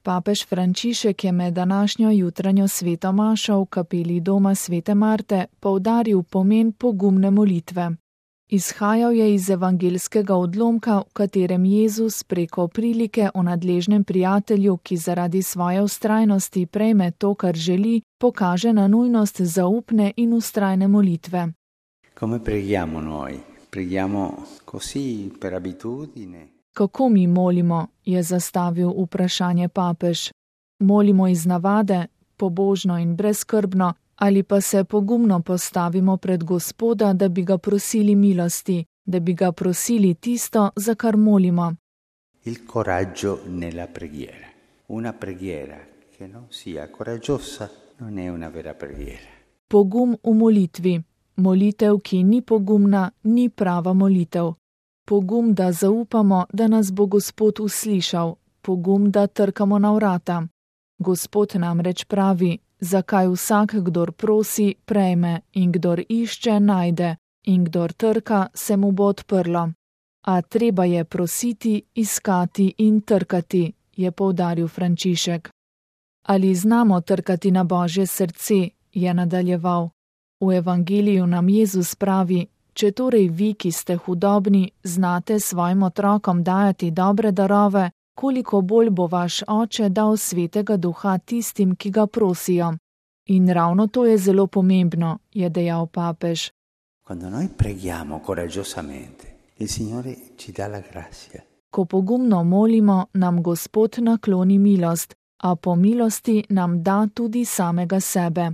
Papež Frančišek je med današnjo jutranjo sveto mašo v kapeli doma svete Marte poudaril pomen pogumne molitve. Izhajal je iz evangeljskega odlomka, v katerem Jezus preko prilike o nadležnem prijatelju, ki zaradi svoje vztrajnosti prejme to, kar želi, pokaže na nujnost zaupne in vztrajne molitve. Come preghiamo noi? Preghiamo così per abitudine? Kako mi molimo, je zastavil vprašanje papež. Molimo iz navade, pobožno in brezskrbno, ali pa se pogumno postavimo pred Gospoda, da bi ga prosili milosti, da bi ga prosili tisto, za kar molimo. Il coraggio nella preghiera. Una preghiera che non sia coraggiosa non è una vera preghiera. Pogum v molitvi. Molitev, ki ni pogumna, ni prava molitev. Pogum, da zaupamo, da nas bo Gospod uslišal. Pogum, da trkamo na vrata. Gospod namreč pravi, zakaj vsak, kdor prosi, prejme, in kdor išče, najde, in kdor trka, se mu bo odprlo. A treba je prositi, iskati in trkati, je poudaril Frančišek. Ali znamo trkati na Božje srce, je nadaljeval. V evangeliju nam Jezus pravi, če torej vi, ki ste hudobni, znate svojim otrokom dajati dobre darove, koliko bolj bo vaš Oče dal svetega duha tistim, ki ga prosijo. In ravno to je zelo pomembno, je dejal papež. Quando noi preghiamo coraggiosamente, il Signore ci dà la grazia. Ko pogumno molimo, nam Gospod nakloni milost, a po milosti nam da tudi samega sebe.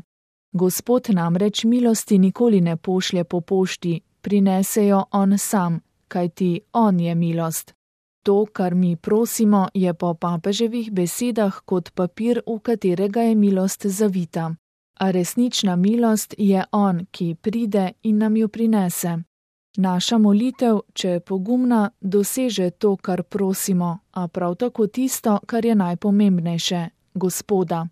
Gospod namreč milosti nikoli ne pošlje po pošti, prinese jo on sam, kajti on je milost. To, kar mi prosimo, je po papeževih besedah kot papir, v katerega je milost zavita. A resnična milost je on, ki pride in nam jo prinese. Naša molitev, če je pogumna, doseže to, kar prosimo, a prav tako tisto, kar je najpomembnejše, Gospoda.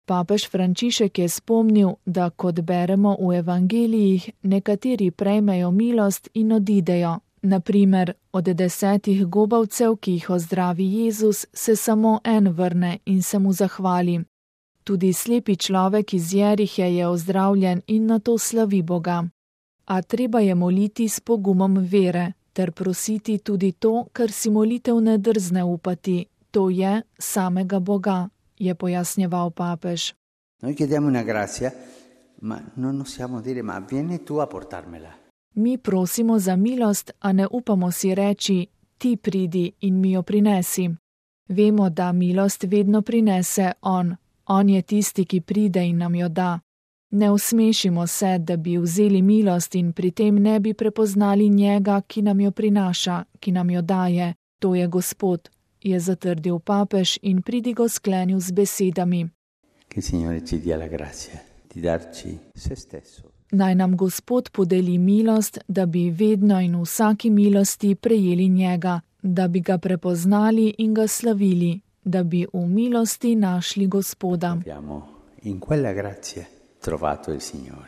Papež Frančišek je spomnil, da kot beremo v evangelijih, nekateri prejmejo milost in odidejo. Na primer, od 10 gobavcev, ki jih ozdravi Jezus, se samo en vrne in se mu zahvali. Tudi slepi človek iz Jerihe je ozdravljen in nato slavi Boga. A treba je moliti s pogumom vere, ter prositi tudi to, kar si molitev ne drzne upati, to je samega Boga, je pojasnjeval papež. Noi chiediamo una grazia, ma non osiamo dire, ma vieni tu a portarmela. Mi prosimo za milost, a ne upamo si reči, ti pridi in mi jo prinesi. Vemo, da milost vedno prinese on. On je tisti, ki pride in nam jo da. Ne usmešimo se, da bi vzeli milost in pri tem ne bi prepoznali njega, ki nam jo prinaša, ki nam jo daje. To je Gospod, je zatrdil papež in pridigo sklenil z besedami. Che il Signore ci dia la grazia di darci se stesso. Naj nam Gospod podeli milost, da bi vedno in v vsaki milosti prejeli njega, da bi ga prepoznali in ga slavili, da bi v milosti našli Gospoda. Abbiamo in quella grazia trovato il Signore.